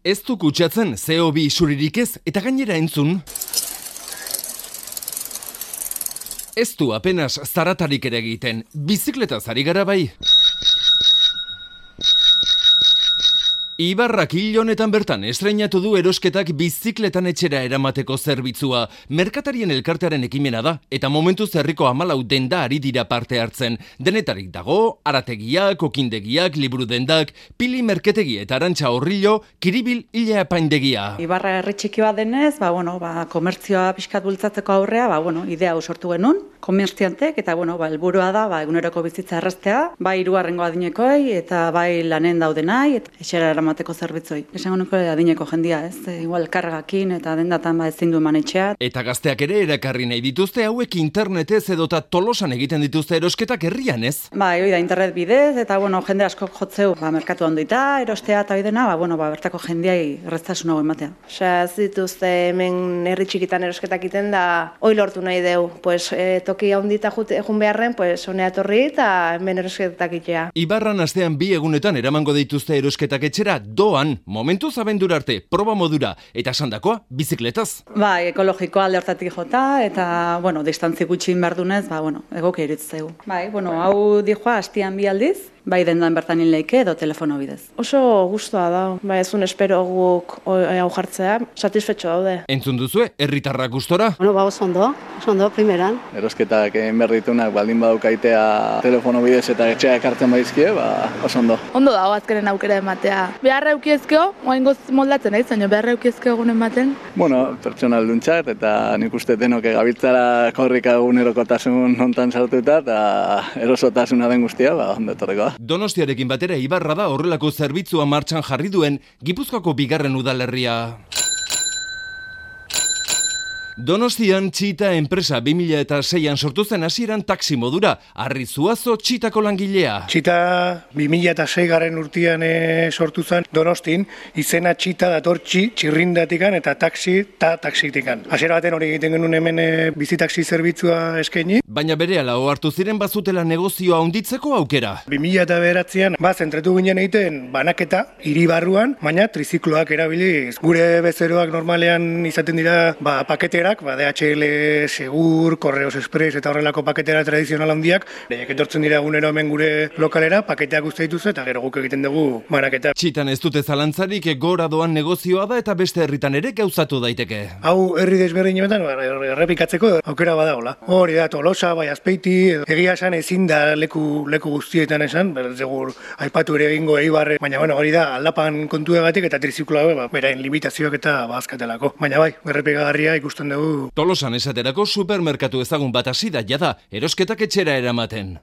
Ez du kutsatzen CO2 isuririk ez eta gainera entzun. Ez du apenas zaratarik ere egiten, bizikletaz ari gara bai. Ibarrak hil honetan bertan estreinatu du erosketak bizikletan etxera eramateko zerbitzua. Merkatarien elkartearen ekimena da, eta momentuz herriko 14 denda ari dira parte hartzen. Denetarik dago, arategiak, okindegiak, liburu dendak, pili merketegi eta arantxa horrillo, kiribil hila apaindegia. Ibarra herri txiki bat denez, komertzioa pixkat bultzatzeko aurrea, idea hau sortu genuen, komertziantek, eta helburua da, eguneroko bizitza erraztea, bai hirugarrengo adinekoi, eta bai lanen daudenai, eta etxera eramateko zerbitzoi. Esango nuke adineko jendia, ez? Igual kargakin eta dendatan ezin du eman etxea. Eta gazteak ere erakarri nahi dituzte hauek internetez edota Tolosan egiten dituzte erosketak herrian, ez? Hoi da internet bidez, eta jende asko jotzeu, merkatu handoita, erostea eta bidena, bertako jendiai erraztasun hau ematea. Ez dituzte hemen herri txikitan erosketak iten da, hoi lortu nahi deu, toki handita jun beharren, honea etorri eta hemen erosketak itea. Ibarran astean 2 egunetan eramango dituzte erosketak etxera doan, momentuz abendura arte, proba modura, eta sandakoa, bizikletaz. Ekologikoa alde hortatik jota, eta, distantzi gutxin berdunez, egokia iritzeu. Hau dijoa hastian 2 aldiz, bai dendan bertan leike edo telefono bidez. Oso gustoa da, ezun espero guk hau jartzea, satisfetxo daude. Entzun duzue, herritarrak gustora? Oso ondo, primeran. Erosketak berritunak baldin badukaitea telefono bidez eta etxea ekartzen baizkie, oso ondo. Ondo dago azkenen aukera ematea. Beharra eukiezkeo, oaingoz moldatzen nahi, zaino beharra eukiezkeo egun ematen. Pertsonal duntxat, eta nik uste denok gabiltzara korrika egunerokotasun hontan sartuta, eta erosotasuna den guztia, ondo etorreko. Donostiarekin batera Ibarra da horrelako zerbitzua martxan jarri duen Gipuzkoako 2. udalerria. Donostian Txita enpresa 2006an sortu zen hasieran taxi modura, Arri Zuazo Txitako langilea. Txita 2006 urtean sortu zen Donostin, izena Txita dator txirrindatikan eta taxitikan. Hasiera baten hori egiten genuen hemen bizitaxi zerbitzua eskaini. Baina berehala ohartu ziren bazutela negozioa handitzeko aukera. 2009an zentretu ginen egiten banaketa hiri barruan, baina trizikloak erabiliz. Gure bezeroak normalean izaten dira paketerak, DHL, Segur, Correos Express eta horrelako paketera tradizional handiak, lehiak etortzen dira egunero hemen gure lokalera, paketeak uste dituzte eta gero guk egiten dugu banaketa. Txitan ez dute zalantzarik gora doan negozioa da eta beste herritan ere gauzatu daiteke. Hau herri desberdinetan errepikatzeko aukera badagola. Hori da Tolosa, bai Azpeiti, egia esan ezin da leku guztietan esan, segur aipatu ere egingo Eibarre, baina hori da aldapan kontuegatik eta trizikloa berain limitazioak eta bazkatelako. Baina bai, errepikagarria ikusten dugu. Tolosan esaterako supermerkatu ezagun bat hasi da jada, erosketak etxera eramaten.